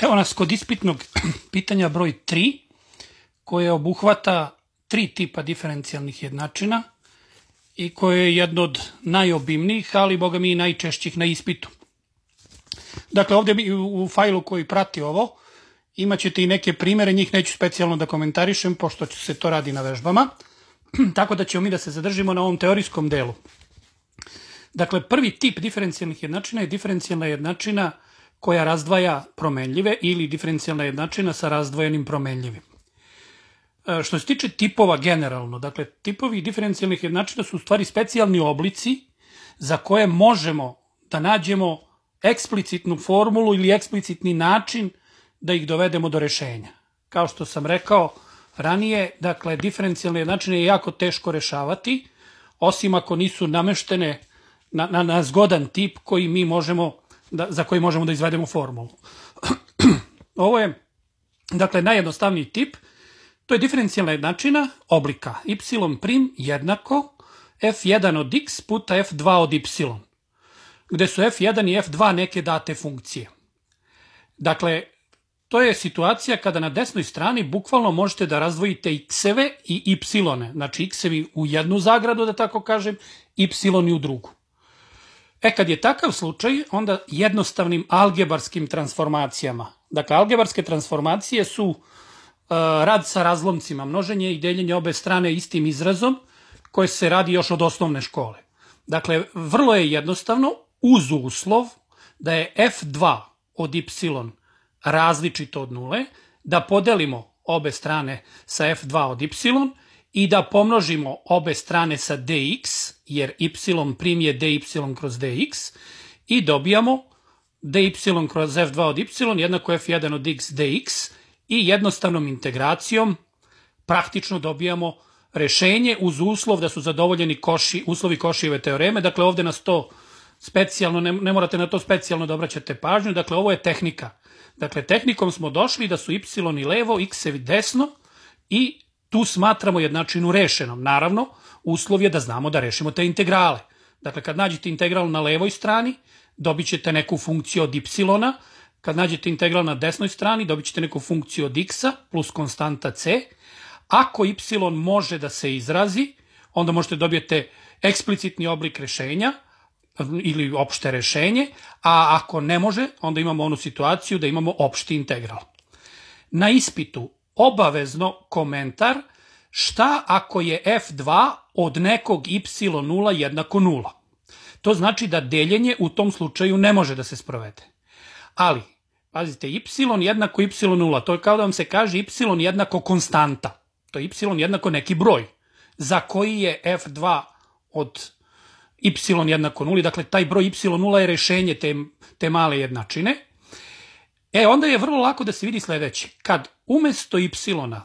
Evo nas kod ispitnog pitanja broj 3, koje obuhvata 3 tipa diferencijalnih jednačina i koje je jedno od najobimnijih, ali boga mi i najčešćih na ispitu. Dakle, ovdje u fajlu koji prati ovo imat ćete i neke primere, njih neću specijalno da komentarišem, pošto se to radi na vežbama, tako da ćemo mi da se zadržimo na ovom teorijskom delu. Dakle, prvi tip diferencijalnih jednačina je diferencijalna jednačina koja razdvaja promenljive ili diferencijalna jednačina sa razdvojenim promenljivim. Što se tiče tipova generalno, dakle, tipovi diferencijalnih jednačina su u stvari specijalni oblici za koje možemo da nađemo eksplicitnu formulu ili eksplicitni način da ih dovedemo do rešenja. Kao što sam rekao ranije, dakle, diferencijalne jednačine je jako teško rešavati, osim ako nisu nameštene na zgodan tip koji mi možemo za koji možemo da izvedemo formulu. Ovo je, dakle, najjednostavniji tip. To je diferencijalna jednačina oblika y' jednako f1 od x puta f2 od y, gde su f1 i f2 neke date funkcije. Dakle, to je situacija kada na desnoj strani bukvalno možete da razdvojite x-eve i y-one, znači x-evi u jednu zagradu, da tako kažem, y u drugu. Kad je takav slučaj, onda jednostavnim algebarskim transformacijama. Dakle, algebarske transformacije su rad sa razlomcima, množenje i deljenje obe strane istim izrazom, koje se radi još od osnovne škole. Dakle, vrlo je jednostavno, uz uslov da je f2 od y različito od nule, da podelimo obe strane sa f2 od y i da pomnožimo obe strane sa dx, jer y' je dy kroz dx, i dobijamo dy kroz f2 od y jednako f1 od x dx i jednostavnom integracijom praktično dobijamo rešenje uz uslov da su zadovoljeni uslovi Košijeve teoreme. Dakle, ovde nas to specijalno, ne morate na to specijalno da obraćate pažnju, dakle, ovo je tehnika. Dakle, tehnikom smo došli da su y levo, x-evi desno i tu smatramo jednačinu rešenom. Naravno, uslov je da znamo da rešimo te integrale. Dakle, kad nađete integral na levoj strani, dobit ćete neku funkciju od y, kad nađete integral na desnoj strani, dobit ćete neku funkciju od x-a plus konstanta c. Ako y može da se izrazi, onda možete dobijete eksplicitni oblik rešenja ili opšte rešenje, a ako ne može, onda imamo onu situaciju da imamo opšti integral. Na ispitu obavezno komentar šta ako je f2 od nekog y0 jednako 0. To znači da deljenje u tom slučaju ne može da se sprovede. Ali, pazite, y jednako y0, to je kao da vam se kaže y jednako konstanta. To je y jednako neki broj za koji je f2 od y jednako 0, dakle taj broj y0 je rešenje te male jednačine. Onda je vrlo lako da se vidi sledeće. Kad umesto y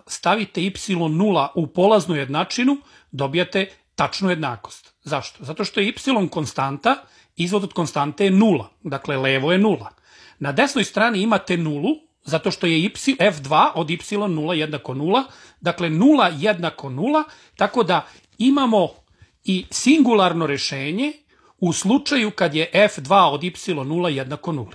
stavite y0 u polaznu jednačinu, dobijate tačnu jednakost. Zašto? Zato što je y konstanta, izvod od konstante je 0, dakle levo je 0. Na desnoj strani imate nulu, zato što je f2 od y0 jednako 0, dakle 0 jednako 0, tako da imamo i singularno rešenje u slučaju kad je f2 od y0 jednako 0.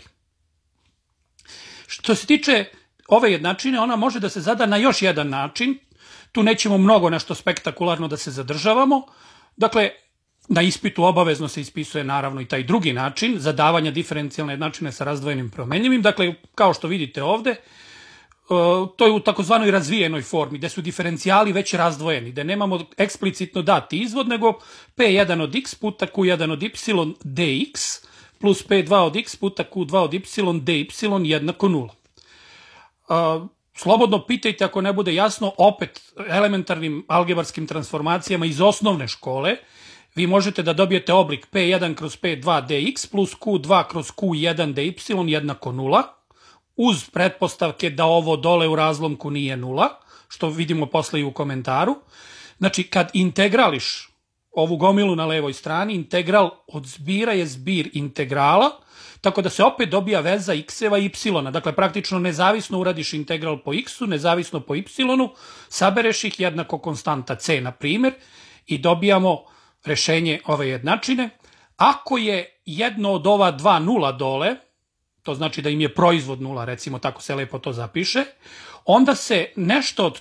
Što se tiče ove jednačine, ona može da se zada na još jedan način. Tu nećemo mnogo nešto spektakularno da se zadržavamo. Dakle, na ispitu obavezno se ispisuje naravno i taj drugi način zadavanja diferencijalne jednačine sa razdvojenim promenljivim. Dakle, kao što vidite ovde, to je u takozvanoj razvijenoj formi, gde su diferencijali već razdvojeni, gde nemamo eksplicitno dati izvod, nego p1 od x puta q1 od y dx plus p2 od x puta q2 od y dy jednako 0. Slobodno pitajte ako ne bude jasno, opet elementarnim algebarskim transformacijama iz osnovne škole, vi možete da dobijete oblik p1 kroz p2 dx plus q2 kroz q1 dy jednako 0, uz pretpostavke da ovo dole u razlomku nije 0, što vidimo posle i u komentaru. Znači, kad integrališ ovu gomilu na levoj strani, integral od zbira je zbir integrala, tako da se opet dobija veza x-eva i y. Dakle, praktično nezavisno uradiš integral po x-u, nezavisno po y-u, sabereš ih jednako konstanta c, na primjer, i dobijamo rešenje ove jednačine. Ako je jedno od ova dva nula dole, to znači da im je proizvod 0, recimo tako se lepo to zapiše, onda se nešto od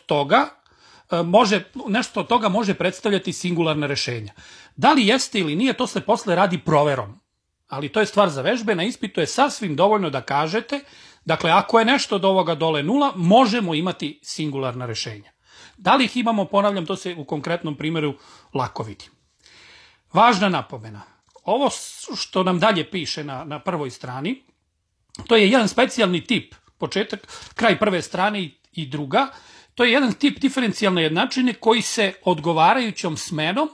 toga može predstavljati singularna rešenja. Da li jeste ili nije, to se posle radi proverom. Ali to je stvar za vežbe, na ispitu je sasvim dovoljno da kažete, dakle, ako je nešto od ovoga dole 0, možemo imati singularna rešenja. Da li ih imamo, ponavljam, to se u konkretnom primjeru lako vidi. Važna napomena. Ovo što nam dalje piše na prvoj strani, to je jedan specijalni tip, početak, kraj prve strane i druga, to je jedan tip diferencijalne jednačine koji se odgovarajućom smenom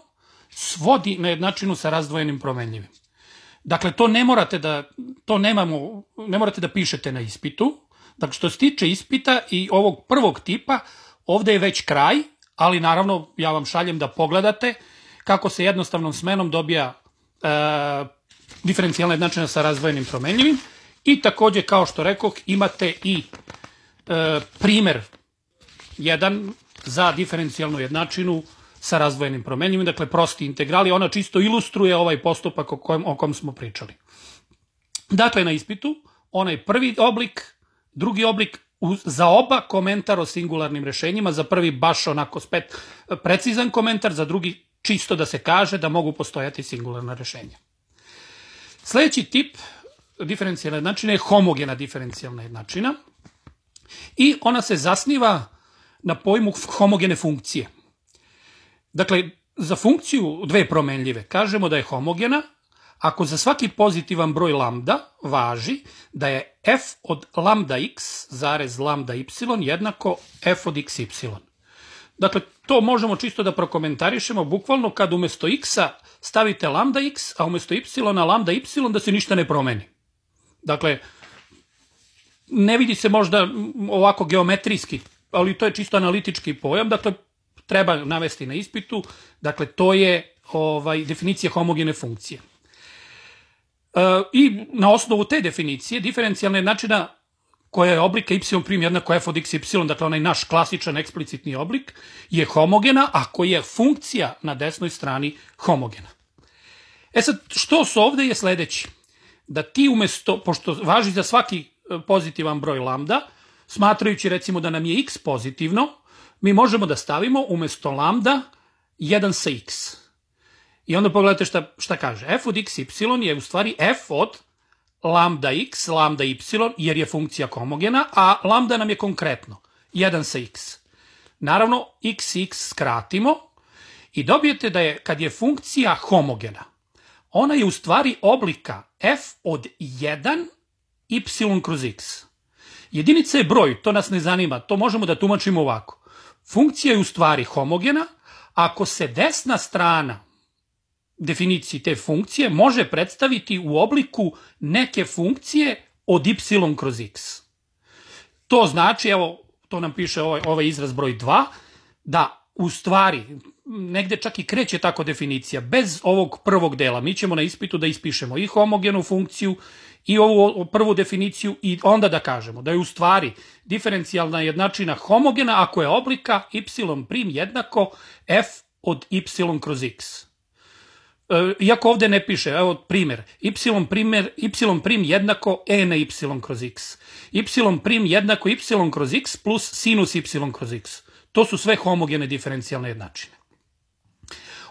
svodi na jednačinu sa razdvojenim promenljivim. Dakle, to ne morate da pišete na ispitu. Dakle, što se tiče ispita i ovog prvog tipa, ovde je već kraj, ali naravno ja vam šaljem da pogledate kako se jednostavnom smenom dobija diferencijalna jednačina sa razdvojenim promenljivim i takođe, kao što rekoh, imate i primer jedan za diferencijalnu jednačinu sa razdvojenim promenljivim, dakle prosti integrali, ona čisto ilustruje ovaj postupak o kojem smo pričali. Dakle, na ispitu, onaj prvi oblik, drugi oblik, za oba komentar o singularnim rešenjima, za prvi baš onako spet precizan komentar, za drugi čisto da se kaže da mogu postojati singularna rešenja. Sljedeći tip diferencijalne jednačine je homogena diferencijalna jednačina i ona se zasniva na pojmu homogene funkcije. Dakle, za funkciju dve promenljive kažemo da je homogena ako za svaki pozitivan broj lambda važi da je f od lambda x zarez lambda y jednako f od xy. Dakle, to možemo čisto da prokomentarišemo bukvalno kad umesto x-a stavite lambda x, a umesto y lambda y, da se ništa ne promeni. Dakle, ne vidi se možda ovako geometrijski, ali to je čisto analitički pojam, dakle, treba navesti na ispitu, dakle, to je definicija homogene funkcije. I na osnovu te definicije, diferencijalna jednačina koja je oblika y' jednako f od xy, dakle onaj naš klasičan eksplicitni oblik, je homogena ako je funkcija na desnoj strani homogena. E sad, što su ovde je sledeći. Da ti umesto, pošto važi za svaki pozitivan broj lambda, smatrajući recimo da nam je x pozitivno, mi možemo da stavimo umesto lambda 1 sa x. I onda pogledajte šta kaže. F od xy je u stvari f od lambda x, lambda y, jer je funkcija homogena, a lambda nam je konkretno 1 sa x. Naravno, x i x skratimo i dobijete da je, kad je funkcija homogena, ona je u stvari oblika f od 1 y kroz x. Jedinica je broj, to nas ne zanima, to možemo da tumačimo ovako. Funkcija je u stvari homogena ako se desna strana definiciji te funkcije može predstaviti u obliku neke funkcije od y kroz x. To znači, evo, to nam piše ovaj izraz broj 2, da u stvari negde čak i kreće tako definicija. Bez ovog prvog dela mi ćemo na ispitu da ispišemo i homogenu funkciju i ovu prvu definiciju i onda da kažemo da je u stvari diferencijalna jednačina homogena ako je oblika y' jednako f od y kroz x. Iako ovde ne piše, evo primjer, y' jednako e na y kroz x. Y' jednako y kroz x plus sinus y kroz x. To su sve homogene diferencijalne jednačine.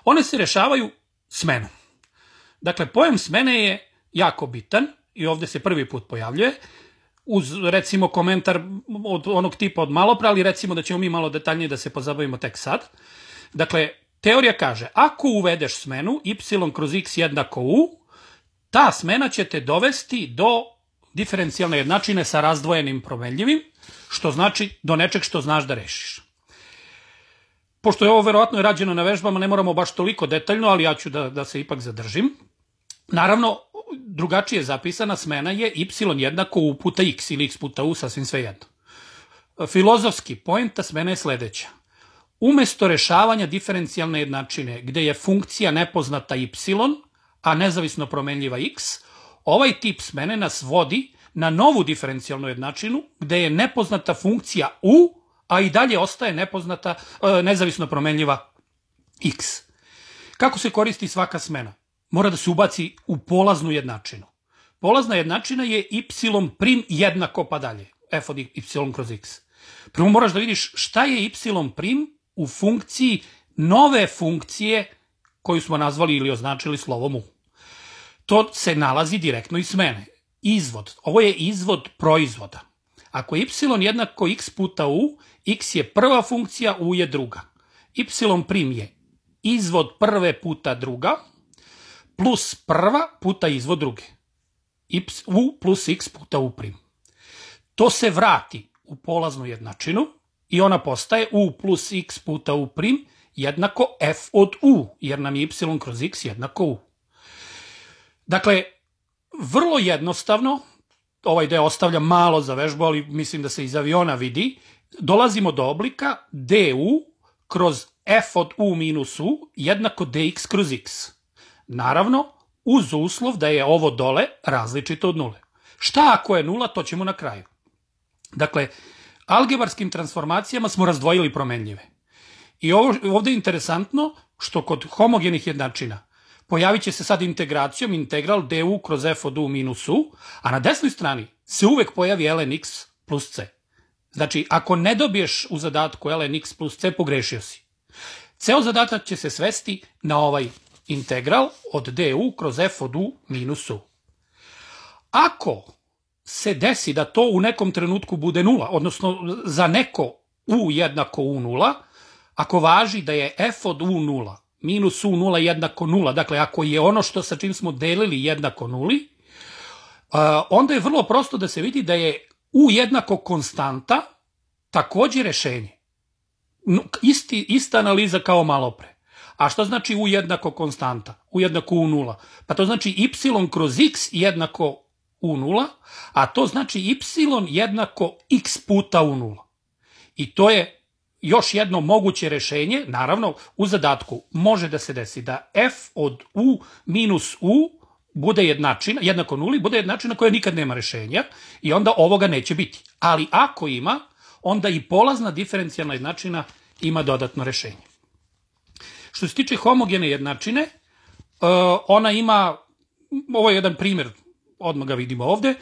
One se rešavaju smenom. Dakle, pojam smene je jako bitan i ovde se prvi put pojavljuje, uz recimo komentar od onog tipa od malopre, ali recimo da ćemo mi malo detaljnije da se pozabavimo tek sad. Dakle, teorija kaže, ako uvedeš smenu y kroz x jednako u, ta smena će te dovesti do diferencijalne jednačine sa razdvojenim promenljivim, što znači do nečeg što znaš da rešiš. Pošto je ovo verovatno rađeno na vežbama, ne moramo baš toliko detaljno, ali ja ću da se ipak zadržim. Naravno, drugačije zapisana smena je y jednako u puta x ili x puta u, sasvim sve jedno. Filozofski poenta smene je sledeća. Umesto rešavanja diferencijalne jednačine gde je funkcija nepoznata y, a nezavisno promenljiva x, ovaj tip smene nas vodi na novu diferencijalnu jednačinu gde je nepoznata funkcija u, a i dalje ostaje nezavisno promenljiva x. Kako se koristi svaka smena? Mora da se ubaci u polaznu jednačinu. polazna jednačina je y prim jednako pa dalje, f od y kroz x. Prvo moraš da vidiš šta je y prim u funkciji nove funkcije koju smo nazvali ili označili slovom u. To se nalazi direktno iz smene. Izvod. Ovo je izvod proizvoda. Ako je y jednako x puta u, x je prva funkcija, u je druga. Y prim je izvod prve puta druga, plus prva puta izvod druge. U plus x puta u prim. To se vrati u polaznu jednačinu i ona postaje u plus x puta u prim jednako f od u, jer nam je y kroz x jednako u. Dakle, vrlo jednostavno, ovaj deo ostavljam malo za vežbu, ali mislim da se iz aviona vidi, dolazimo do oblika du kroz f od u minus u jednako dx kroz x. Naravno, uz uslov da je ovo dole različito od nule. Šta ako je nula, to ćemo na kraju. Dakle, algebarskim transformacijama smo razdvojili promenljive. I ovdje je interesantno što kod homogenih jednačina pojavit će se sad integracijom integral du kroz f od u minus u, a na desnoj strani se uvek pojavi ln x plus c. Znači, ako ne dobiješ u zadatku ln x plus c, pogrešio si. Ceo zadatak će se svesti na ovaj integral od du kroz f od u minus u. Ako se desi da to u nekom trenutku bude nula, odnosno za neko u jednako u nula, ako važi da je f od u nula minus u nula jednako nula, dakle ako je ono što sa čim smo delili jednako nuli, onda je vrlo prosto da se vidi da je u jednako konstanta takođe rešenje. Ista analiza kao malo pre. A što znači u jednako konstanta? U jednako u nula. Pa to znači y kroz x jednako u nula, a to znači y jednako x puta u nula. I to je još jedno moguće rešenje, naravno u zadatku može da se desi da f od u minus u bude jednačina, jednako nuli, bude jednačina koja nikad nema rešenja i onda ovoga neće biti. Ali ako ima, onda i polazna diferencijalna jednačina ima dodatno rešenje. Što se tiče homogene jednačine, ona ima, ovo je jedan primjer, odmah ga vidimo ovde,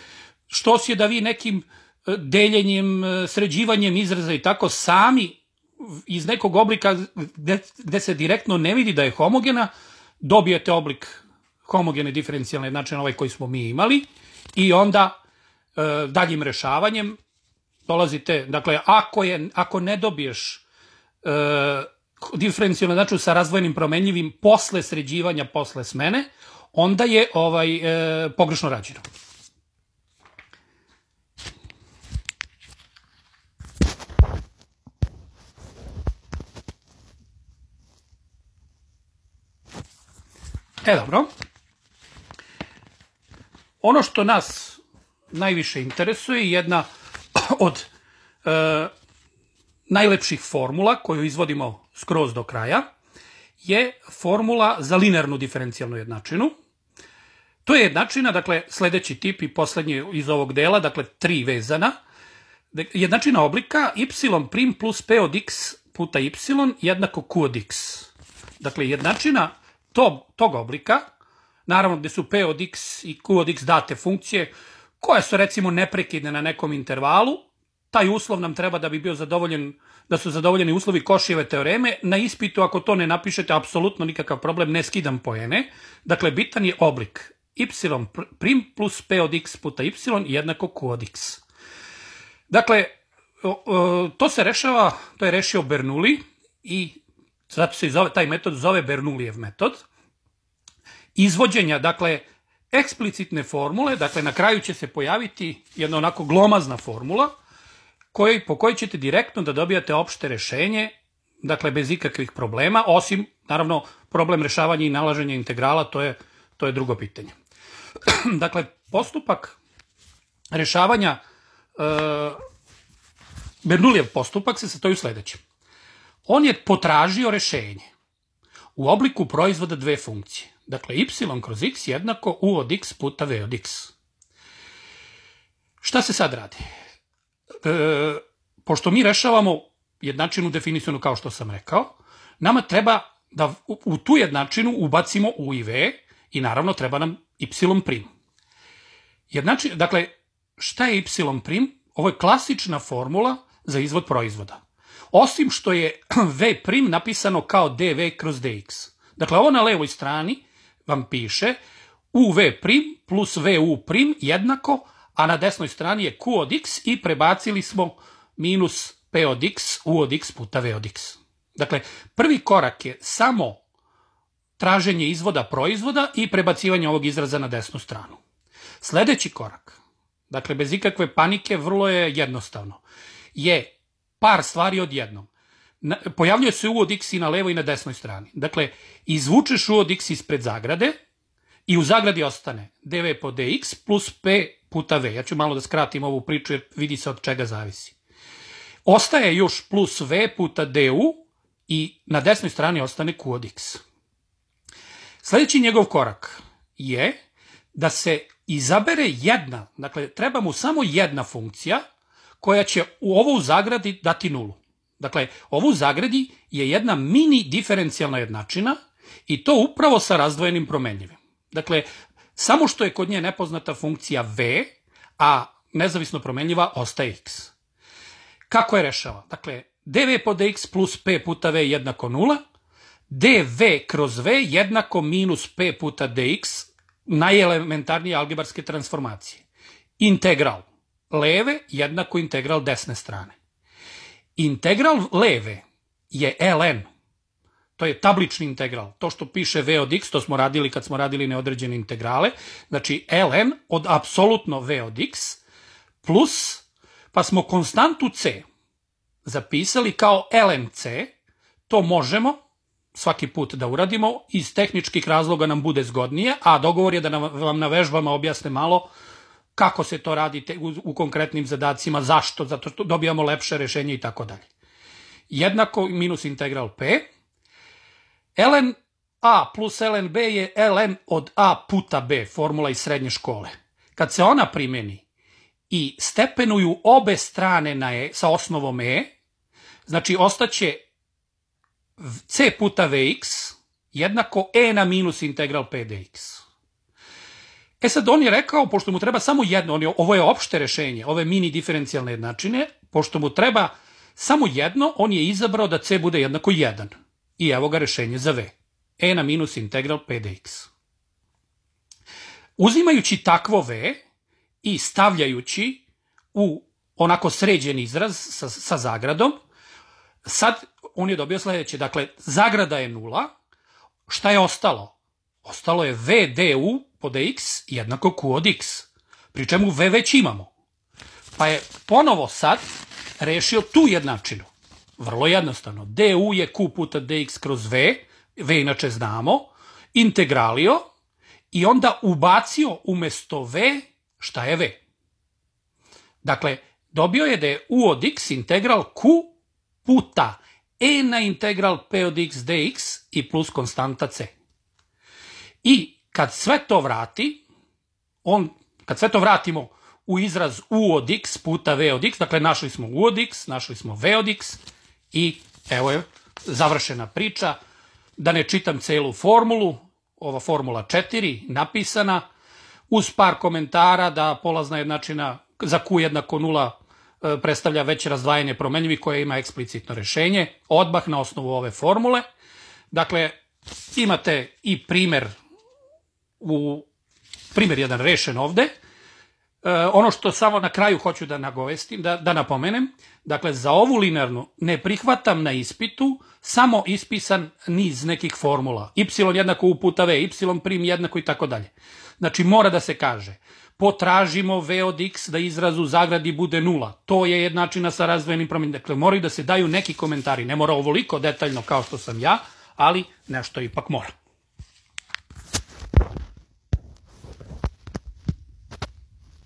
što je da vi nekim deljenjem, sređivanjem izraza i tako sami iz nekog oblika gde se direktno ne vidi da je homogena, dobijete oblik homogene diferencijalne jednačine, ovaj koji smo mi imali, i onda daljim rešavanjem dolazite, dakle, ako ne dobiješ diferencijalnu jednačinu sa razdvojenim promenljivim posle sređivanja, posle smene, onda je pogrešno rađeno. Dobro. Ono što nas najviše interesuje, jedna od najlepših formula koju izvodimo skroz do kraja, je formula za linearnu diferencijalnu jednačinu. To je jednačina, dakle, sledeći tip i poslednji iz ovog dela, dakle, 3 vezana. Jednačina oblika y prim plus p od x puta y jednako q od x. Dakle, jednačina tog oblika, naravno gde su p od x i q od x date funkcije, koje su recimo neprekidne na nekom intervalu, taj uslov nam treba da bi bio zadovoljen, da su zadovoljeni uslovi Košijeve teoreme. Na ispitu, ako to ne napišete, apsolutno nikakav problem, ne skidam poene. Dakle, bitan je oblik y prim plus p od x puta y jednako q od x. Dakle, to se rešava, to je rešio Bernoulli i zato se taj metod zove Bernoullijev metod. Izvođenja, dakle, eksplicitne formule, dakle, na kraju će se pojaviti jedna onako glomazna formula po kojoj ćete direktno da dobijate opšte rešenje, dakle, bez ikakvih problema, osim, naravno, problem rešavanja i nalaženja integrala, to je drugo pitanje. Dakle, postupak rešavanja, Bernoullijev postupak se sastoji u sledećem. On je potražio rešenje u obliku proizvoda dve funkcije. Dakle, y kroz x jednako u od x puta v od x. Šta se sad radi? Pošto mi rešavamo jednačinu definisanu kao što sam rekao, nama treba da u tu jednačinu ubacimo u i v i naravno treba nam y prim. Dakle, šta je y'? Ovo je klasična formula za izvod proizvoda. Osim što je v' napisano kao dv kroz dx. Dakle, ovo na levoj strani vam piše uv' plus vu' jednako, a na desnoj strani je q od x i prebacili smo minus p od x, u od x puta v od x. Dakle, prvi korak je samo traženje izvoda proizvoda i prebacivanje ovog izraza na desnu stranu. Sledeći korak, dakle, bez ikakve panike, vrlo je jednostavno, je par stvari odjednom. Pojavljuje se u od x i na levoj i na desnoj strani. Dakle, izvučeš u od x ispred zagrade i u zagradi ostane dv po dx plus p puta v. Ja ću malo da skratim ovu priču jer vidi se od čega zavisi. Ostaje još plus v puta du i na desnoj strani ostane q od x. Sledeći njegov korak je da se izabere jedna, dakle, treba mu samo jedna funkcija koja će ovo u zagradi dati nulu. Dakle, ovo u zagradi je jedna mini diferencijalna jednačina i to upravo sa razdvojenim promenljivim. Dakle, samo što je kod nje nepoznata funkcija v, a nezavisno promenljiva ostaje x. Kako je rešava? Dakle, dv po dx plus p puta v jednako 0, dv kroz v jednako minus p puta dx, najelementarnije algebarske transformacije. Integral leve jednako integral desne strane. Integral leve je ln. To je tablični integral. To što piše v od x, to smo radili kad smo radili neodređene integrale. Znači ln od apsolutno v od x plus, pa smo konstantu c zapisali kao lnc. To možemo svaki put da uradimo. Iz tehničkih razloga nam bude zgodnije, a dogovor je da vam na vežbama objasne malo kako se to radi u konkretnim zadacima, zašto, zato što dobijamo lepše rešenje i tako dalje. Jednako minus integral p. Ln a plus ln b je ln od a puta b, formula iz srednje škole. Kad se ona primeni i stepenuju obe strane na e, sa osnovom e, znači ostaće c puta vx jednako e na minus integral p dx. E sad on je rekao, pošto mu treba samo jedno, ovo je opšte rešenje, ove mini diferencijalne jednačine, pošto mu treba samo jedno, on je izabrao da c bude jednako 1. I evo ga rešenje za v. E na minus integral p dx. Uzimajući takvo v i stavljajući u onako sređen izraz sa zagradom, sad on je dobio sledeće. Dakle, zagrada je 0. Šta je ostalo? Ostalo je v du po dx jednako q od x. Pri čemu v već imamo. Pa je ponovo sad rešio tu jednačinu. Vrlo jednostavno. Du je q puta dx kroz v. V inače znamo. Integralio. I onda ubacio umesto v šta je v. Dakle, dobio je da je u od x integral q puta e na integral p od x dx i plus konstanta c. I kad sve to vrati, kad sve to vratimo u izraz u od x puta v od x, dakle našli smo u od x, našli smo v od x i evo je završena priča. Da ne čitam celu formulu, ova formula 4 napisana, uz par komentara da polazna jednačina za q jednako 0 predstavlja već razdvajanje promenljivih koje ima eksplicitno rešenje, odmah na osnovu ove formule. Dakle, imate i primer jedan rešen ovde. Ono što samo na kraju hoću da nagovestim, da napomenem, dakle, za ovu linearnu ne prihvatam na ispitu samo ispisan niz nekih formula. Y jednako u puta v, y prim jednako i tako dalje. Znači, mora da se kaže, potražimo v od x da izraz u zagradi bude 0. To je jednačina sa razdvojenim promenljivim. Dakle, moraju da se daju neki komentari. Ne mora ovoliko detaljno kao što sam ja, ali nešto ipak mora.